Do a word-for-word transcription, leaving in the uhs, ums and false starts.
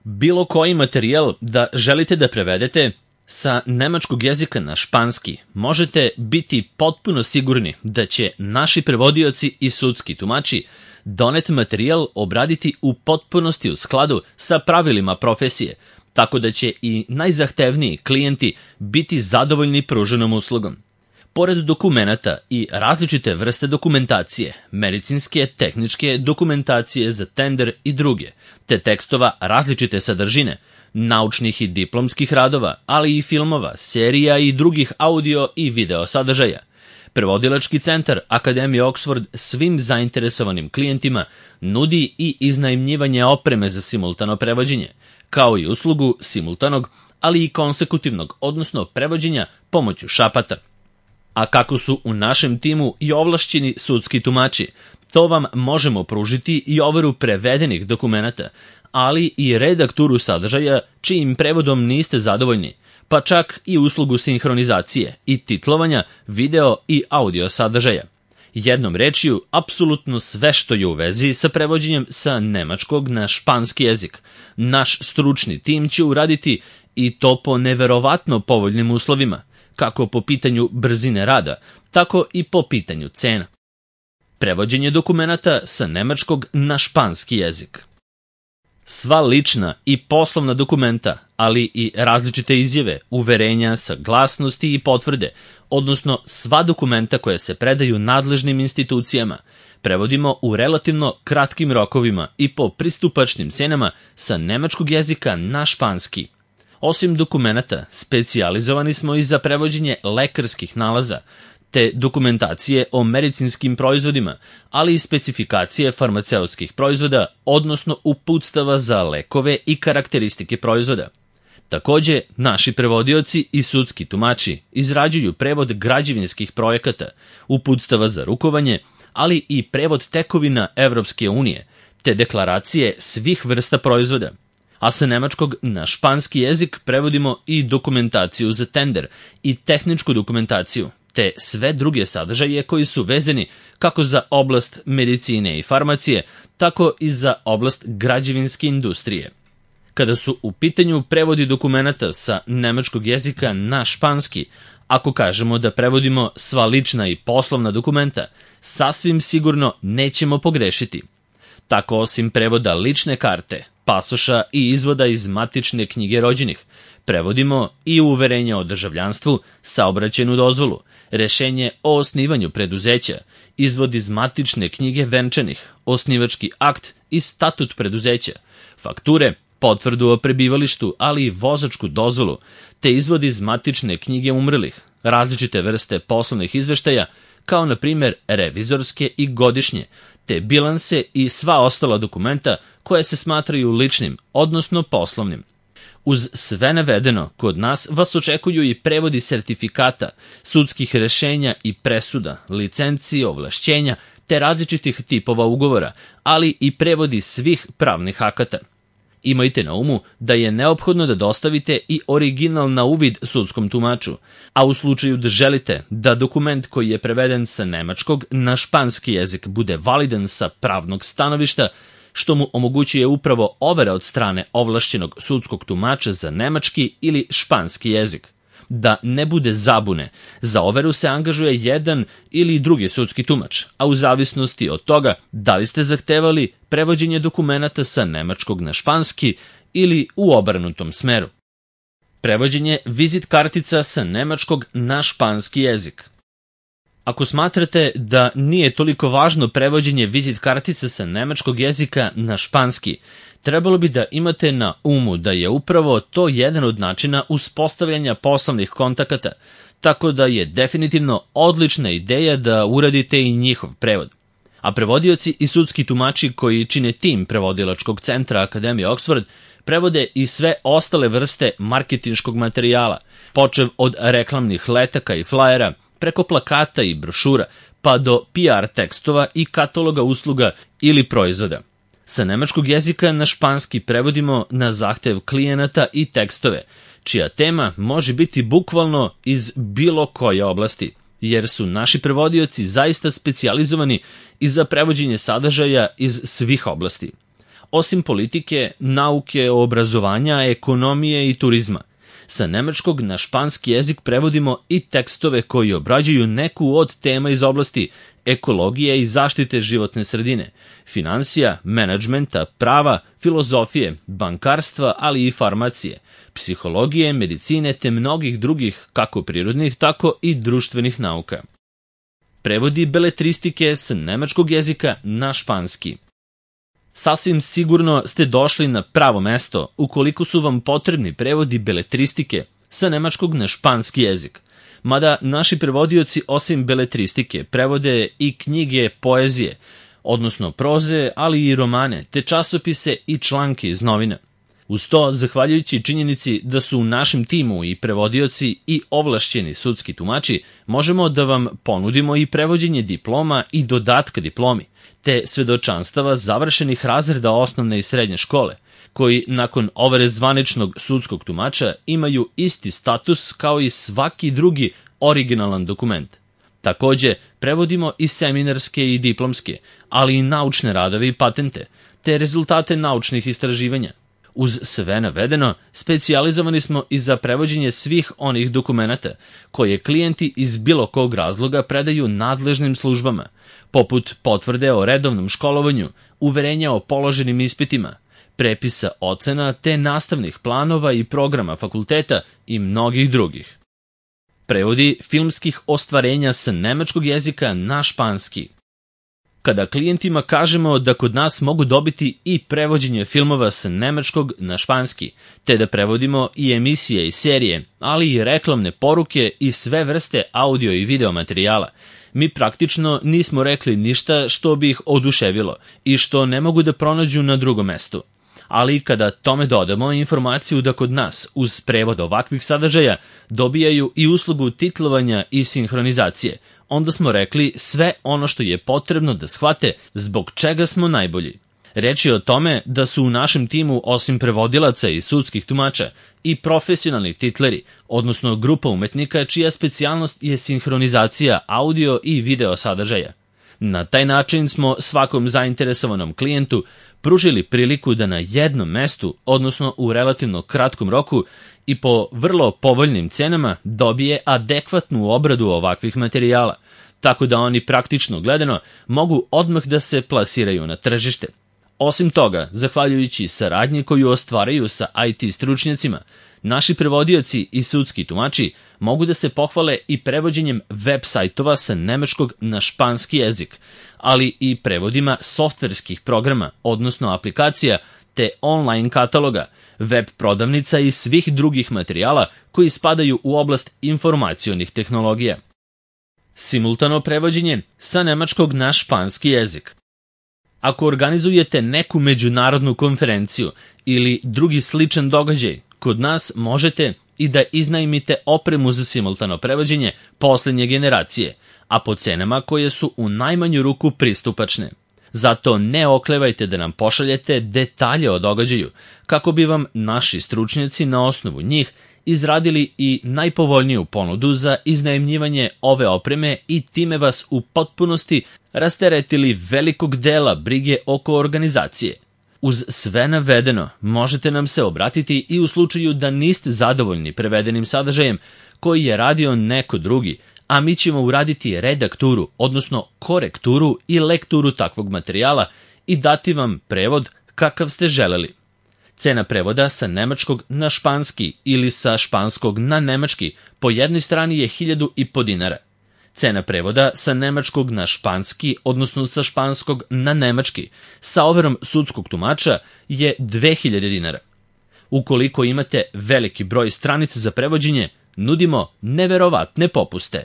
Bilo koji materijal da želite da prevedete sa nemačkog jezika na španski, možete biti potpuno sigurni da će naši prevodioci i sudski tumači donet materijal obraditi u potpunosti u skladu sa pravilima profesije, tako da će i najzahtevniji klijenti biti zadovoljni pruženom uslugom. Pored dokumenata i različite vrste dokumentacije, medicinske, tehničke dokumentacije za tender i druge, te tekstova različite sadržine, naučnih i diplomskih radova, ali i filmova, serija i drugih audio i video sadržaja, Prevodilački centar Akademije Oxford svim zainteresovanim klijentima nudi i iznajmljivanje opreme za simultano prevođenje, kao i uslugu simultanog, ali i konsekutivnog, odnosno prevođenja pomoću šapata. A kako su u našem timu i ovlašćeni sudski tumači, to vam možemo pružiti i overu prevedenih dokumenata, ali i redakturu sadržaja čijim prevodom niste zadovoljni, pa čak i uslugu sinhronizacije i titlovanja video i audio sadržaja. Jednom rečju, apsolutno sve što je u vezi sa prevođenjem sa nemačkog na španski jezik. Naš stručni tim će uraditi i to po neverovatno povoljnim uslovima, kako po pitanju brzine rada, tako i po pitanju cena. Prevođenje dokumenata sa nemačkog na španski jezik. Sva lična i poslovna dokumenta, ali i različite izjave, uverenja, saglasnosti i potvrde, odnosno sva dokumenta koja se predaju nadležnim institucijama, prevodimo u relativno kratkim rokovima i po pristupačnim cenama sa nemačkog jezika na španski. Osim dokumenata, specijalizovani smo i za prevođenje lekarskih nalaza, te dokumentacije o medicinskim proizvodima, ali i specifikacije farmaceutskih proizvoda, odnosno uputstava za lekove i karakteristike proizvoda. Takođe, naši prevodioci i sudski tumači izrađuju prevod građevinskih projekata, uputstava za rukovanje, ali i prevod tekovina Evropske unije, te deklaracije svih vrsta proizvoda. A sa nemačkog na španski jezik prevodimo i dokumentaciju za tender i tehničku dokumentaciju, te sve druge sadržaje koji su vezani kako za oblast medicine i farmacije, tako i za oblast građevinske industrije. Kada su u pitanju prevodi dokumenata sa nemačkog jezika na španski, ako kažemo da prevodimo sva lična i poslovna dokumenta, sasvim sigurno nećemo pogrešiti. Tako osim prevoda lične karte, pasoša i izvoda iz matične knjige rođenih, prevodimo i uverenje o državljanstvu, saobraćajnu dozvolu, rešenje o osnivanju preduzeća, izvod iz matične knjige venčanih, osnivački akt i statut preduzeća, fakture, potvrdu o prebivalištu, ali i vozačku dozvolu, te izvod iz matične knjige umrlih, različite vrste poslovnih izveštaja, kao na primjer revizorske i godišnje, te bilanse i sva ostala dokumenta koje se smatraju ličnim, odnosno poslovnim. Uz sve navedeno, kod nas vas očekuju i prevodi sertifikata, sudskih rešenja i presuda, licenci, ovlašćenja, te različitih tipova ugovora, ali i prevodi svih pravnih akata. Imajte na umu da je neophodno da dostavite i original na uvid sudskom tumaču, a u slučaju da želite da dokument koji je preveden sa nemačkog na španski jezik bude validan sa pravnog stanovišta, što mu omogućuje upravo overa od strane ovlašćenog sudskog tumača za nemački ili španski jezik. Da ne bude zabune, za overu se angažuje jedan ili drugi sudski tumač, a u zavisnosti od toga da li ste zahtevali prevođenje dokumenata sa nemačkog na španski ili u obrnutom smeru. Prevođenje vizit kartica sa nemačkog na španski jezik. Ako smatrate da nije toliko važno prevođenje vizit kartica sa nemačkog jezika na španski, trebalo bi da imate na umu da je upravo to jedan od načina uspostavljanja poslovnih kontakata, tako da je definitivno odlična ideja da uradite i njihov prevod. A prevodioci i sudski tumači koji čine tim Prevodilačkog centra Akademije Oxford prevode i sve ostale vrste marketinškog materijala, počev od reklamnih letaka i flajera, preko plakata i brošura, pa do P R tekstova i kataloga usluga ili proizvoda. Sa nemačkog jezika na španski prevodimo na zahtev klijenata i tekstove, čija tema može biti bukvalno iz bilo koje oblasti, jer su naši prevodioci zaista specijalizovani i za prevođenje sadržaja iz svih oblasti. osim politike, nauke, obrazovanja, ekonomije i turizma. Sa nemačkog na španski jezik prevodimo i tekstove koji obrađuju neku od tema iz oblasti ekologije i zaštite životne sredine, finansija, menadžmenta, prava, filozofije, bankarstva, ali i farmacije, psihologije, medicine te mnogih drugih kako prirodnih, tako i društvenih nauka. Prevodi beletristike sa nemačkog jezika na španski. Sasvim sigurno ste došli na pravo mesto ukoliko su vam potrebni prevodi beletristike sa nemačkog na španski jezik. Mada naši prevodioci osim beletristike prevode i knjige poezije, odnosno proze, ali i romane, te časopise i članke iz novina. Uz to, zahvaljujući činjenici da su u našem timu i prevodioci i ovlašćeni sudski tumači, možemo da vam ponudimo i prevođenje diploma i dodatka diplomi, te svedočanstava završenih razreda osnovne i srednje škole, koji nakon overe zvaničnog sudskog tumača imaju isti status kao i svaki drugi originalan dokument. Takođe, prevodimo i seminarske i diplomske, ali i naučne radove i patente, te rezultate naučnih istraživanja. Uz sve navedeno, specijalizovani smo i za prevođenje svih onih dokumenata koje klijenti iz bilo kog razloga predaju nadležnim službama, poput potvrde o redovnom školovanju, uverenja o položenim ispitima, prepisa ocena te nastavnih planova i programa fakulteta i mnogih drugih. Prevodi filmskih ostvarenja sa nemačkog jezika na španski. Kada klijentima kažemo da kod nas mogu dobiti i prevođenje filmova sa nemačkog na španski, te da prevodimo i emisije i serije, ali i reklamne poruke i sve vrste audio i video materijala, mi praktično nismo rekli ništa što bi ih oduševilo i što ne mogu da pronađu na drugom mestu. Ali kada tome dodamo informaciju da kod nas, uz prevod ovakvih sadržaja, dobijaju i uslugu titlovanja i sinhronizacije, onda smo rekli sve ono što je potrebno da shvate zbog čega smo najbolji. Reč je o tome da su u našem timu osim prevodilaca i sudskih tumača i profesionalni titleri, odnosno grupa umetnika čija specijalnost je sinhronizacija audio i video sadržaja. Na taj način smo svakom zainteresovanom klijentu pružili priliku da na jednom mestu, odnosno u relativno kratkom roku i po vrlo povoljnim cenama dobije adekvatnu obradu ovakvih materijala, tako da oni praktično gledano mogu odmah da se plasiraju na tržište. Osim toga, zahvaljujući saradnji koju ostvaraju sa I T stručnjacima, naši prevodioci i sudski tumači mogu da se pohvale i prevođenjem web sajtova sa nemačkog na španski jezik, ali i prevodima softverskih programa, odnosno aplikacija, te online kataloga, web prodavnica i svih drugih materijala koji spadaju u oblast informacionih tehnologija. Simultano prevođenje sa nemačkog na španski jezik. Ako organizujete neku međunarodnu konferenciju ili drugi sličan događaj, kod nas možete i da iznajmite opremu za simultano prevođenje poslednje generacije, a po cenama koje su u najmanju ruku pristupačne. Zato ne oklevajte da nam pošaljete detalje o događaju, kako bi vam naši stručnjaci na osnovu njih izradili i najpovoljniju ponudu za iznajmljivanje ove opreme i time vas u potpunosti rasteretili velikog dela brige oko organizacije. Uz sve navedeno, možete nam se obratiti i u slučaju da niste zadovoljni prevedenim sadržajem koji je radio neko drugi, a mi ćemo uraditi redakturu, odnosno korekturu i lekturu takvog materijala i dati vam prevod kakav ste želeli. Cena prevoda sa nemačkog na španski ili sa španskog na nemački po jednoj strani je hiljadu i po dinara. Cena prevoda sa nemačkog na španski, odnosno sa španskog na nemački, sa overom sudskog tumača je dve hiljade dinara. Ukoliko imate veliki broj stranica za prevođenje, nudimo neverovatne popuste.